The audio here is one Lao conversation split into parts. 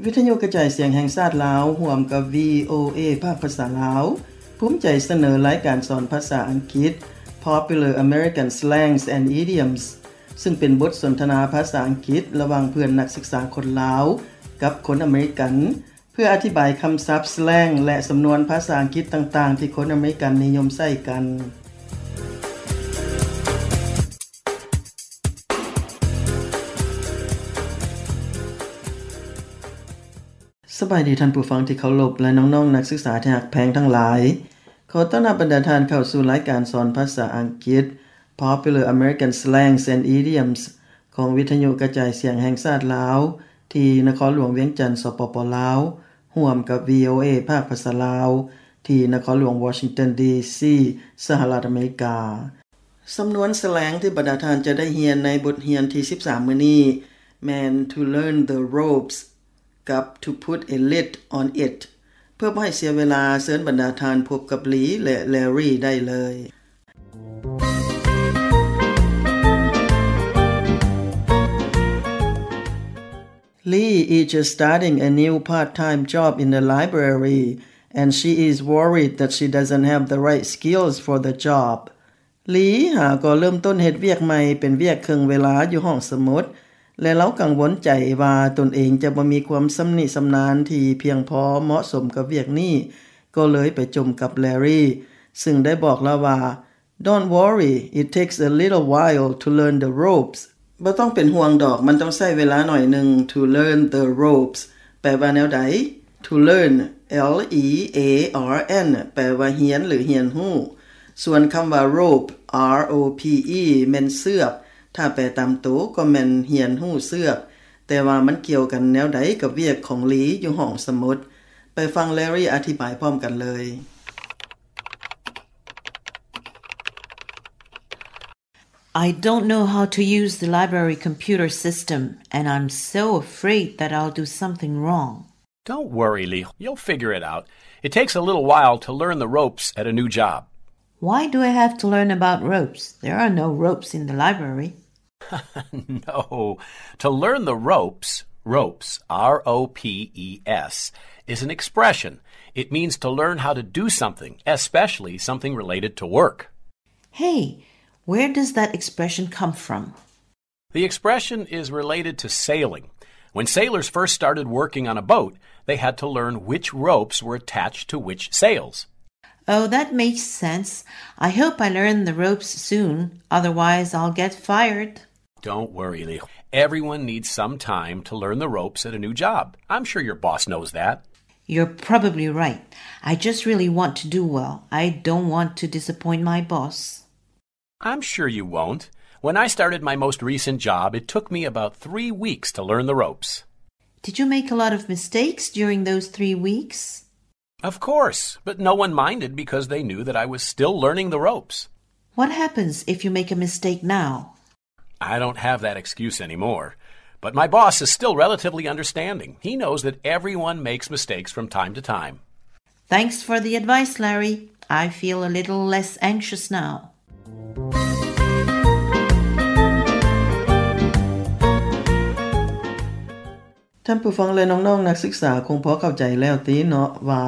ວິທະຍຸກະຈາຍສຽງແຫ່ງຊາດລາວ ຮ່ວມກັບ ວີໂອເອ ພາກພາສາລາວ ພູມໃຈສະເໜີລາຍການສອນພາສາອັງກິດ Popular American Slangs and Idioms ຊຶ່ງເປັນບົດສົນທະນາພາສາອັງກິດລະຫວ່າງເພື່ອນນັກສຶກສາຄົນລາວກັບຄົນອາເມລິກັນ ເພື່ອອະທິບາຍຄຳສັບ, ສແລງ ແລະ ສຳນວນພາສາອັງກິດຕ່າງໆ ທີ່ຄົນອາເມລິກັນນິຍົມໃຊ້ກັນ. ສະບາຍດີທ່ານຜູ້ຟັງທີ່ເຄົາລົບ ແລະ ນ້ອງໆນັກສຶກສາທີ່ຮັກແພງທັງຫຼາຍ. ຂໍຕ້ອນຮັບບັນດາທ່ານເຂົ້າສູ່ລາຍການສອນພາສາອັງກິດ Popular American Slangs and Idioms ຂອງວິທະຍຸກະຈາຍສຽງແຫ່ງຊາດລາວ ທີ່ນະຄອນຫຼວງວຽງຈັນ ສປປ ລາວ ຮ່ວມກັບ ວີໂອເອ ພາກພາສາລາວ ທີ່ນະຄອນຫຼວງວໍຊິງຕັນ ດີຊີ ສະຫະລັດອາເມລິກາ. ສຳນວນສແລງທີ່ບັນດາທ່ານຈະໄດ້ຮຽນໃນບົດຮຽນທີສິບສາມມື້ນີ້ ແມ່ນ to learn the ropes ກັບ to put a lid on it. ເພື່ອບໍ່ໃຫ້ເສຍເວລາ, ເຊີນບັນດາທ່ານພົບກັບ Lee ແລະ Larry ໄດ້ເລີຍ. Lee is just starting a new part-time job in the library, and she is worried that she doesn't have the right skills for the job. ລີຫາກໍເລີ່ມຕົ້ນເຮັດວຽກໃໝ່ເປັນວຽກເຄິ່ງເວລາຢູ່ຫ້ອງສະໝຸດ ແລະ ລາວກັງວົນໃຈວ່າຕົນເອງຈະບໍ່ມີຄວາມຊຳນິຊຳນານທີ່ພຽງພໍເໝາະສົມກັບວຽກນີ້, ກໍເລີຍໄປຈົ່ມກັບແລຣີ ຊຶ່ງໄດ້ບອກລາວວ່າ Don't worry, it takes a little while to learn the ropes. ບໍ່ຕ້ອງເປັນຫ່ວງດອກ, ມັນຕ້ອງໃຊ້ເວລາໜ້ອຍໜຶ່ງ. To learn the ropes ແປວ່າແນວໃດ? To learn, L E A R N ແປວ່າຮຽນ ຫຼື ຮຽນຮູ້. ສ່ວນຄຳວ່າ rope, R O P E ແມ່ນເຊືອກ. ຖ້າແປຕາມໂຕກໍແມ່ນຮຽນຮູ້ເຊືອກ. ແຕ່ວ່າມັນກ່ຽວກັນແນວໃດກັບວຽກຂອງລີຢູ່ຫ້ອງສະໝຸດ? ໄປຟັງແລຣີອະທິບາຍພ້ອມກັນເລີຍ. I don't know how to use the library computer system, and I'm so afraid that I'll do something wrong. Don't worry, Lee. You'll figure it out. It takes a little while to learn the ropes at a new job. Why do I have to learn about ropes? There are no ropes in the library. No. To learn the ropes, ropes, R O P E S, is an expression. It means to learn how to do something, especially something related to work. Hey, where does that expression come from? The expression is related to sailing. When sailors first started working on a boat, they had to learn which ropes were attached to which sails. Oh, that makes sense. I hope I learn the ropes soon, otherwise I'll get fired. Don't worry, Lee. Everyone needs some time to learn the ropes at a new job. I'm sure your boss knows that. You're probably right. I just really want to do well. I don't want to disappoint my boss. I'm sure you won't. When I started my most recent job, it took me about three weeks to learn the ropes. Did you make a lot of mistakes during those three weeks? Of course, but no one minded because they knew that I was still learning the ropes. What happens if you make a mistake now? I don't have that excuse anymore. But my boss is still relatively understanding. He knows that everyone makes mistakes from time to time. Thanks for the advice, Larry. I feel a little less anxious now. ທ່ານຜູ້ຟັງ ແລະ ນ້ອງໆນັກສຶກສາຄົງພໍເຂົ້າໃຈແລ້ວຕິເນາະ ວ່າ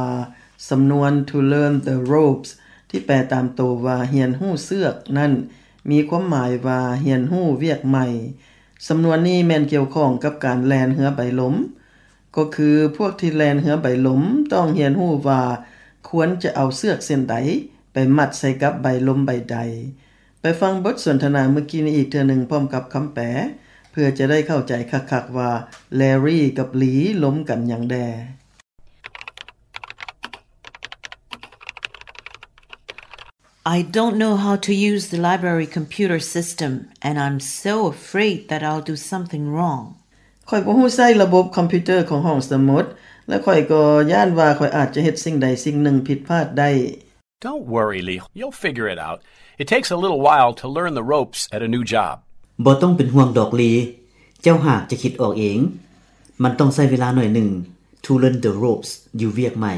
ສຳນວນ to learn the ropes ທີ່ແປຕາມໂຕວ່າຮຽນຮູ້ເຊືອກນັ້ນ ມີຄວາມໝາຍວ່າຮຽນຮູ້ວຽກໃໝ່. ສຳນວນນີ້ແມ່ນກ່ຽວຂ້ອງກັບການແລ່ນເຮືອໃບລົມ. ກໍຄືພວກທີ່ແລ່ນເຮືອໃບລົມຕ້ອງຮຽນຮູ້ວ່າຄວນຈະເອົາເຊືອກເສັ້ນໃດໄປມັດໃສ່ກັບໃບລົມໃບໃດ. ໄປຟັງບົດສົນທະນາເມື່ອກີ້ນີ້ອີກເທື່ອໜຶ່ງພ້ອມກັບຄຳແປ ເພື່ອຈະໄດ້ເຂົ້າໃຈຄັກໆວ່າແລຣີກັບລີລົມກັນຫຍັງແດ່. I don't know how to use the library computer system, and I'm so afraid that I'll do something wrong. ຂ້ອຍບໍ່ຮູ້ໃຊ້ລະບົບຄອມພິວເຕີຂອງຫ້ອງສະໝຸດ ແລະ ຂ້ອຍກໍຢ້ານວ່າຂ້ອຍອາດຈະເຮັດສິ່ງໃດສິ່ງໜຶ່ງຜິດພາດໄດ້. Don't worry, Lee. You'll figure it out. It takes a little while to learn the ropes at a new job. ບໍ່ຕ້ອງເປັນຫ່ວງດອກ ລີ. ເຈົ້າຫາກຈະຄິດອອກເອງ. ມັນຕ້ອງໃຊ້ເວລາໜ້ອຍໜຶ່ງ to learn the ropes ຢູ່ວຽກໃໝ່.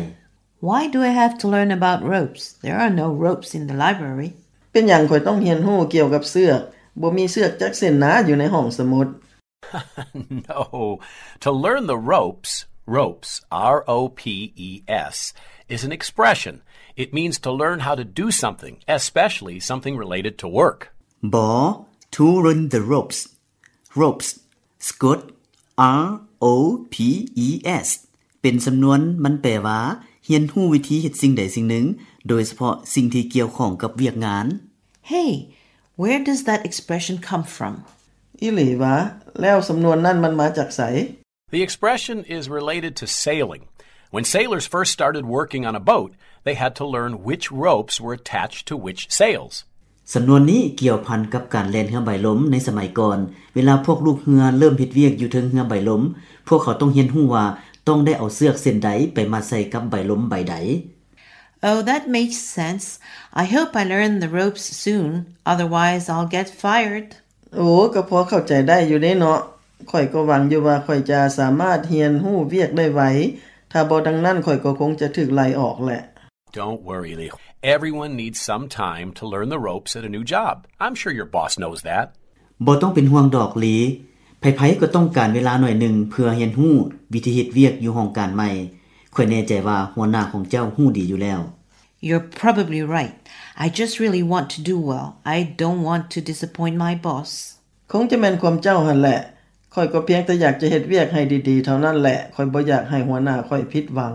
Why do I have to learn about ropes? There are no ropes in the library. ເປັນຫຍັງຂ້ອຍຕ້ອງຮຽນຮູ້ກ່ຽວກັບເຊືອກ? ບໍ່ມີເຊືອກຈັກເສັ້ນນາຢູ່ໃນຫ້ອງສະໝຸດ. No. To learn the ropes, Ropes, R O P E S, is an expression. It means to learn how to do something, especially something related to work. ບໍ່ to run the ropes. Ropes ສະກົດ R O P E S ເປັນສຳນວນ ມັນແປວ່າ ຮຽນຮູ້ວິທີເຮັດສິ່ງໃດສິ່ງໜຶ່ງ ໂດຍສະເພາະສິ່ງທີ່ກ່ຽວຂ້ອງກັບວຽກງານ. Hey, where does that expression come from? ອີ່ຫຼີຫວາ? ແລ້ວສຳນວນນັ້ນມັນມາຈາກໃສ? The expression is related to sailing. When sailors first started working on a boat, they had to learn which ropes were attached to which sails. ສຳນວນນີ້ກ່ຽວພັນກັບການແລ່ນເຮືອໃບລົມໃນສະໄໝກ່ອນ. ເວລາພວກລູກເຮືອເລີ່ມເຮັດວຽກຢູ່ເທິງເຮືອໃບລົມ, ພວກເຂົາຕ້ອງຮຽນຮູ້ວ່າຕ້ອງໄດ້ເອົາເຊືອກເສັ້ນໃດໄປມັດໃສ່ກັບໃບລົມໃບໃດ. Oh, that makes sense. I hope I learn the ropes soon, otherwise I'll get fired. ໂອ້ ກໍພໍເຂົ້າໃຈໄດ້ຢູ່ເດ້ເນາະ. ຂ້ອຍກໍຫວັງຢູ່ວ່າຂ້ອຍຈະສາມາດຮຽນຮູ້ວຽກໄດ້ໄວ, ຖ້າບໍ່ດັ່ງນັ້ນຂ້ອຍກໍຄົງຈະຖືກໄລ່ອອກແຫຼະ. Don't worry, Lee. Everyone needs some time to learn the ropes at a new job. I'm sure your boss knows that. ບໍ່ຕ້ອງເປັນຫ່ວງດອກ ລີ. ໃຜໆກໍຕ້ອງການເວລາໜ້ອຍໜຶ່ງເພື່ອຮຽນຮູ້ວິທີເຮັດວຽກຢູ່ຫ້ອງການໃໝ່. ຂ້ອຍແນ່ໃຈວ່າຫົວໜ້າຂອງເຈົ້າຮູ້ດີຢູ່ແລ້ວ. You're probably right. I just really want to do well. I don't want to disappoint my boss. ຄົງຈະແມ່ນຄວາມເຈົ້າຫັ້ນແຫຼະ. ຂ້ອຍກໍພຽງແຕ່ຢາກຈະເຮັດວຽກໃຫ້ດີໆເທົ່ານັ້ນແຫຼະ. ຂ້ອຍບໍ່ຢາກໃຫ້ຫົວໜ້າຂ້ອຍຜິດຫວັງ.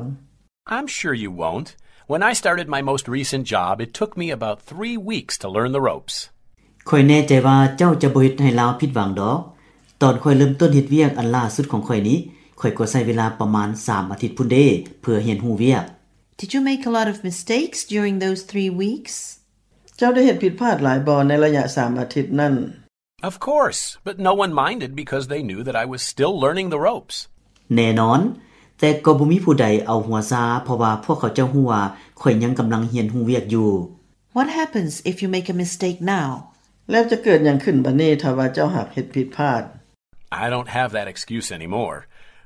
I'm sure you won't. When I started my most recent job, it took me about three weeks to learn the ropes. ຂ້ອຍແນ່ໃຈວ່າເຈົ້າຈະບໍ່ເຮັດໃຫ້ລາວຜິດຫວັງດອກ. ຕອນຂ້ອຍເລີ່ມຕົ້ນເຮັດວຽກອັນລ່າສຸດຂອງຂ້ອຍນີ້, ຂ້ອຍກໍໃຊ້ເວລາປະມານສາມອາທິດພຸ້ນເດ້ ເພື່ອຮຽນຮູ້ວຽກ. Did you make a lot of mistakes during those three weeks? ເຈົ້າໄດ້ເຮັດຜິດພາດຫຼາຍບໍ່ໃນໄລຍະສາມອາທິດນັ້ນ? Of course, but no one minded because they knew that I was still learning the ropes. ແນ່ນອນ, ແຕ່ກໍບໍ່ມີຜູ້ໃດເອົາຫົວຊາ, ເພາະວ່າພວກເຂົາເຈົ້າຮູ້ວ່າຂ້ອຍຍັງກຳລັງຮຽນຮູ້ວຽກຢູ່. What happens if you make a mistake now? ແລ້ວຈະເກີດຫຍັງຂຶ້ນບັດນີ້ຖ້າວ່າເຈົ້າຫາກເຮັດຜິດພາດ? I don't have that excuse anymore.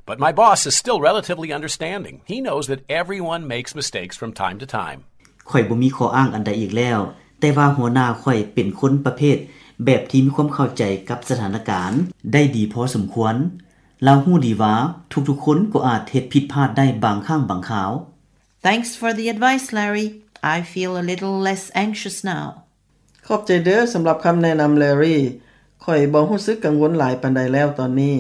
But my boss is still relatively understanding. He knows that everyone makes mistakes from time to time. ຂ້ອຍບໍ່ມີຂໍ້ອ້າງອັນໃດອີກແລ້ວ, ແຕ່ວ່າຫົວໜ້າຂ້ອຍເປັນຄົນປະເພດແບບທີ່ມີຄວາມເຂົ້າໃຈກັບສະຖານະການໄດ້ດີພໍສົມຄວນ. ລາວຮູ້ດີວ່າທຸກໆຄົນກໍອາດເຮັດຜິດພາດໄດ້ບາງຄັ້ງບາງຄາວ. Thanks for the advice, Larry. I feel a little less anxious now. ຂອບໃຈເດີສຳລັບຄຳແນະນຳ ແລຣີ. ຂ້ອຍບໍ່ຮູ້ສຶກກັງວົນຫຼາຍປານໃດແລ້ວຕອນນີ້.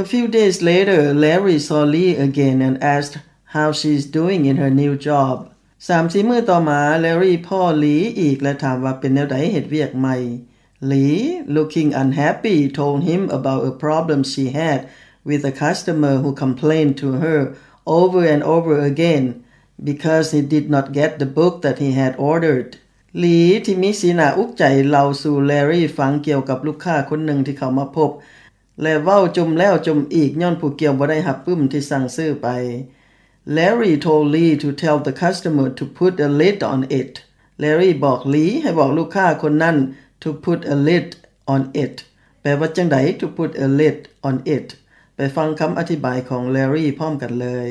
A few days later, Larry saw Lee again and asked how she's doing in her new job. ສາມສີ່ມື້ຕໍ່ມາ, ແລຣີພໍ້ລີອີກ ແລະ ຖາມວ່າເປັນແນວໃດເຮັດວຽກໃໝ່. Lee, looking unhappy, told him about a problem she had with a customer who complained to her over and over again because he did not get the book that he had ordered. ລີທີ່ມີສີໜ້າອຸກໃຈເລົ່າສູ່ແລຣີຟັງກ່ຽວກັບລູກຄ້າຄົນໜຶ່ງທີ່ເຂົ້າມາພົບ ແລະ ເວົ້າຈົ່ມແລ້ວຈົ່ມອີກຍ້ອນຜູ້ກ່ຽວບໍ່ໄດ້ຮັບປຶ້ມທີ່ສັ່ງຊື້ໄປ. Larry told Lee to tell the customer to put a lid on it. ແລຣີບອກລີໃຫ້ບອກລູກຄ້າຄົນນັ້ນ to put a lid on it. ແປວ່າຈັ່ງໃດ to put a lid on it? ໄປຟັງຄຳອະທິບາຍຂອງແລຣີພ້ອມກັນເລີຍ.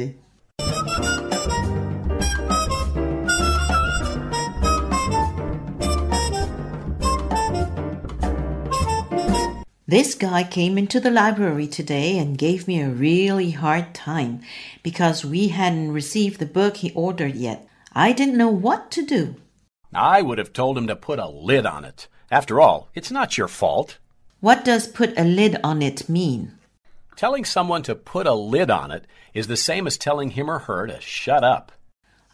This guy came into the library today and gave me a really hard time because we hadn't received the book he ordered yet. I didn't know what to do. I would have told him to put a lid on it. After all, it's not your fault. What does put a lid on it mean? Telling someone to put a lid on it is the same as telling him or her to shut up.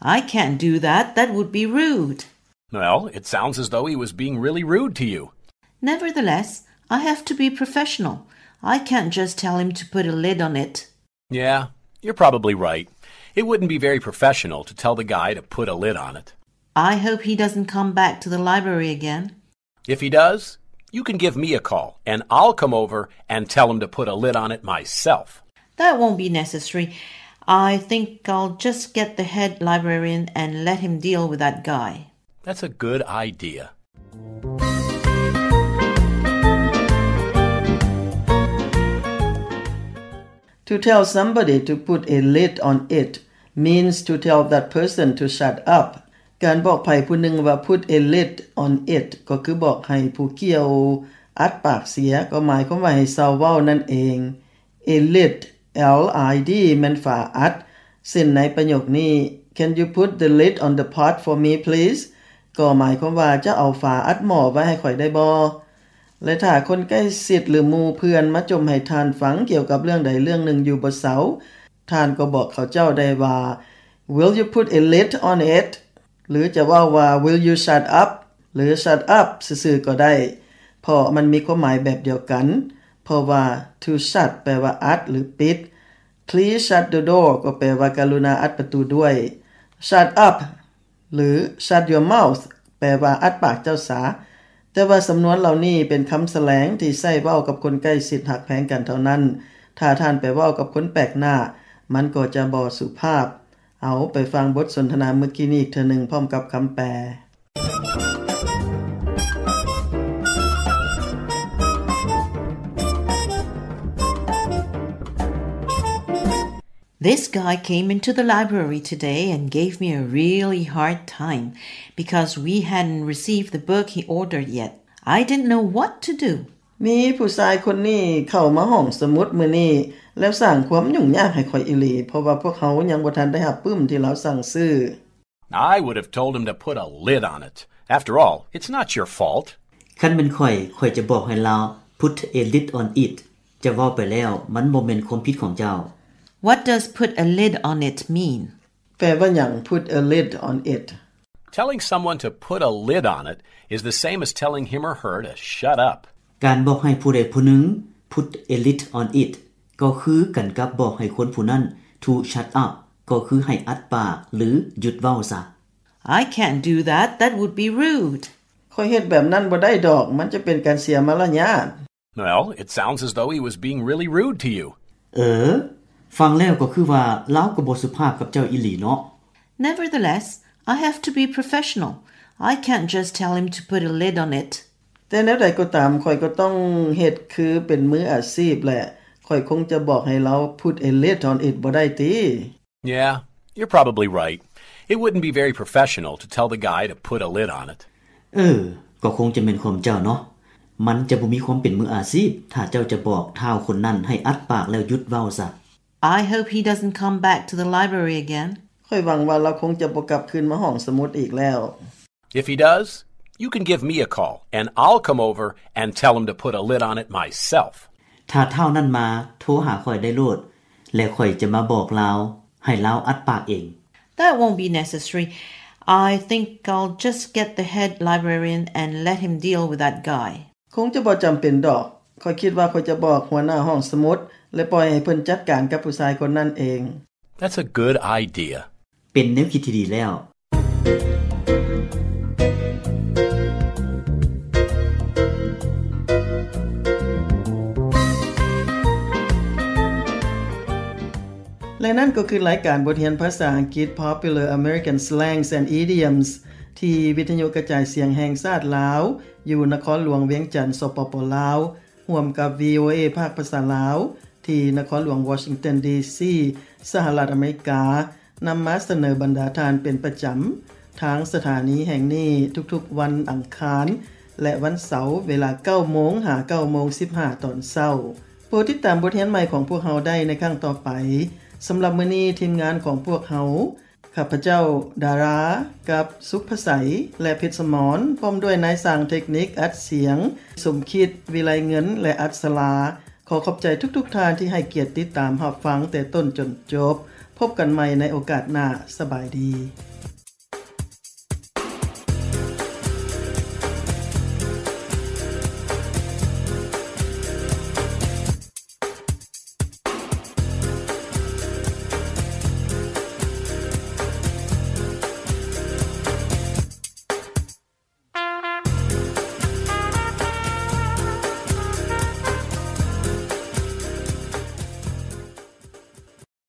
I can't do that. That would be rude. Well, it sounds as though he was being really rude to you. Nevertheless, I have to be professional. I can't just tell him to put a lid on it. Yeah, you're probably right. It wouldn't be very professional to tell the guy to put a lid on it. I hope he doesn't come back to the library again. If he does, you can give me a call, and I'll come over and tell him to put a lid on it myself. That won't be necessary. I think I'll just get the head librarian and let him deal with that guy. That's a good idea. To tell somebody to put a lid on it means to tell that person to shut up. ການບອກໃຜຜູ້ໜຶ່ງວ່າ put a lid on it ກໍຄືບອກໃຫ້ຜູ້ກ່ຽວອັດປາກເສຍ, ກໍໝາຍຄວາມວ່າໃຫ້ເຊົາເວົ້ານັ້ນເອງ. A lid, L I D ແມ່ນຝາອັດ. ເຊັ່ນໃນປະໂຫຍກນີ້ Can you put the lid on the pot for me, please? ກໍໝາຍຄວາມວ່າ ຈະເອົາຝາອັດໝໍ້ໄວ້ໃຫ້ຂ້ອຍໄດ້ບໍ່? ແລະ ຖ້າຄົນໃກ້ຊິດ ຫຼື ໝູ່ເພື່ອນມາຈົ່ມໃຫ້ທ່ານຟັງກ່ຽວກັບເລື່ອງໃດເລື່ອງໜຶ່ງຢູ່ບໍ່ເຊົາ, ທ່ານກໍບອກເຂົາເຈົ້າໄດ້ວ່າ Will you put a lid on it? ຫຼື ຈະເວົ້າວ່າ Will you shut up? ຫຼື Shut up ຊື່ໆກໍໄດ້, ເພາະມັນມີຄວາມໝາຍແບບດຽວກັນ, ເພາະວ່າ to shut ແປວ່າອັດ ຫຼື ປິດ, Please shut the door ກໍແປວ່າ ກະລຸນາອັດປະຕູດ້ວຍ, Shut up ຫຼື Shut your mouth ແປວ່າ ອັດປາກເຈົ້າສາ. ແຕ່ວ່າສຳນວນເຫຼົ່ານີ້ເປັນຄຳສະແລງທີ່ໃຊ້ເວົ້າກັບຄົນໃກ້ຊິດຮັກແພງກັນເທົ່ານັ້ນ. ຖ້າທ່ານໄປເວົ້າກັບຄົນແປກໜ້າ, ມັນກໍຈະບໍ່ສຸພາບ. ເອົາ, ໄປຟັງບົດສົນທະນາເມື່ອກີ້ນີ້ອີກເທື່ອໜຶ່ງ ພ້ອມກັບຄຳແປ. This guy came into the library today and gave me a really hard time because we hadn't received the book he ordered yet. I didn't know what to do. ມີຜູ້ຊາຍຄົນນີ້ເຂົ້າມາຫ້ອງສະໝຸດມື້ນີ້ ແລ້ວສ້າງຄວາມຫຍຸ້ງຍາກໃຫ້ຂ້ອຍອີ່ຫຼີ ເພາະວ່າພວກເຮົາຍັງບໍ່ທັນໄດ້ຮັບປຶ້ມທີ່ລາວສັ່ງຊື້. I would have told him to put a lid on it. After all, it's not your fault. ຄັນແມ່ນຂ້ອຍ, ຂ້ອຍຈະບອກໃຫ້ລາວ put a lid on it. ຈະເວົ້າໄປແລ້ວ, ມັນບໍ່ແມ່ນຄວາມຜິດຂອງເຈົ້າ. What does put a lid on it mean? ແປວ່າຫຍັງ put a lid on it? Telling someone to put a lid on it is the same as telling him or her to shut up. ການບອກໃຫ້ຜູ້ໃດຜູ້ໜຶ່ງ put a lid on it ກໍຄືກັນກັບບອກໃຫ້ຄົນຜູ້ນັ້ນ to shut up ກໍຄືໃຫ້ອັດປາກ ຫຼື ຢຸດເວົ້າຊະ. I can't do that. That would be rude. ຂ້ອຍເຮັດແບບນັ້ນບໍ່ໄດ້ດອກ, ມັນຈະເປັນການເສຍມາລະຍາດ. Well, it sounds as though he was being really rude to you. ເອີ, ຟັງແລ້ວກໍຄືວ່າລາວກໍບໍ່ສຸພາບກັບເຈົ້າອີ່ຫຼີເນາະ. Nevertheless, I have to be professional. I can't just tell him to put a lid on it. ແຕ່ແນວໃດກໍຕາມ, ຂ້ອຍກໍຕ້ອງເຮັດຄືເປັນມືອາຊີບແຫຼະ. ຂ້ອຍຄົງຈະບອກໃຫ້ລາວ put a lid on it ບໍ່ໄດ້ຕິ? Yeah, you're probably right. It wouldn't be very professional to tell the guy to put a lid on it. ເອີ, ກໍຄົງຈະແມ່ນຄວາມເຈົ້າເນາະ. ມັນຈະບໍ່ມີຄວາມເປັນມືອາຊີບ ຖ້າເຈົ້າຈະບອກທ້າວຄົນນັ້ນໃຫ້ອັດປາກແລ້ວຢຸດເວົ້າຊະ. I hope he doesn't come back to the library again. ຂ້ອຍຫວັງວ່າລາວຄົງຈະບໍ່ກັບຄືນມາຫ້ອງສະໝຸດອີກແລ້ວ. If he does, you can give me a call and I'll come over and tell him to put a lid on it myself. ຖ້າທ້າວນັ້ນມາ, ໂທຫາຂ້ອຍໄດ້ໂລດ ແລະ ຂ້ອຍຈະມາບອກລາວໃຫ້ລາວອັດປາກເອງ. That won't be necessary. I think I'll just get the head librarian and let him deal with that guy. ຄົງຈະບໍ່ຈຳເປັນດອກ. ຂ້ອຍຄິດວ່າຂ້ອຍຈະບອກຫົວໜ້າຫ້ອງສະໝຸດ ແລະ ປ່ອຍໃຫ້ເພິ່ນຈັດການກັບຜູ້ຊາຍຄົນນັ້ນເອງ. That's a good idea. ເປັນແນວຄິດທີ່ດີແລ້ວ. ແລະ ນັ້ນກໍຄືລາຍການບົດຮຽນພາສາອັງກິດ Popular American Slangs and Idioms ທີ່ວິທະຍຸກະຈາຍສຽງແຫ່ງຊາດລາວ ຢູ່ນະຄອນຫຼວງວຽງຈັນ ສປປ ລາວ ຮ່ວມກັບ VOA ພາກພາສາລາວ ທີ່ນະຄອນຫຼວງວໍຊິງຕັນ ດີຊີ ສະຫະລັດອາເມລິກາ ນຳມາສະເໜີບັນດາທ່ານເປັນປະຈຳ ທາງສະຖານີແຫ່ງນີ້ທຸກໆວັນອັງຄານ ແລະ ວັນເສົາ ເວລາເກົ້າໂມງ ຫາ ເກົ້າໂມງສິບຫ້າຕອນເຊົ້າ. ໂປດຕິດຕາມບົດຮຽນໃໝ່ຂອງພວກເຮົາໄດ້ໃນຄັ້ງຕໍ່ໄປ. ສຳລັບມື້ນີ້ ທີມງານຂອງພວກເຮົາ ຂ້າພະເຈົ້າ ດາຣາ ກັບ ສຸກພະໄສ ແລະ ເພັດສະໝອນ ພ້ອມດ້ວຍນາຍຊ່າງເທັກນິກອັດສຽງ ສົມຄິດ ວິໄລເງິນ ແລະ ອັດສະລາ ຂໍຂອບໃຈທຸກໆທ່ານທີ່ໃຫ້ກຽດຕິດຕາມຮັບຟັງແຕ່ຕົ້ນຈົນຈົບ. ພົບກັນໃໝ່ໃນໂອກາດໜ້າ. ສະບາຍດີ.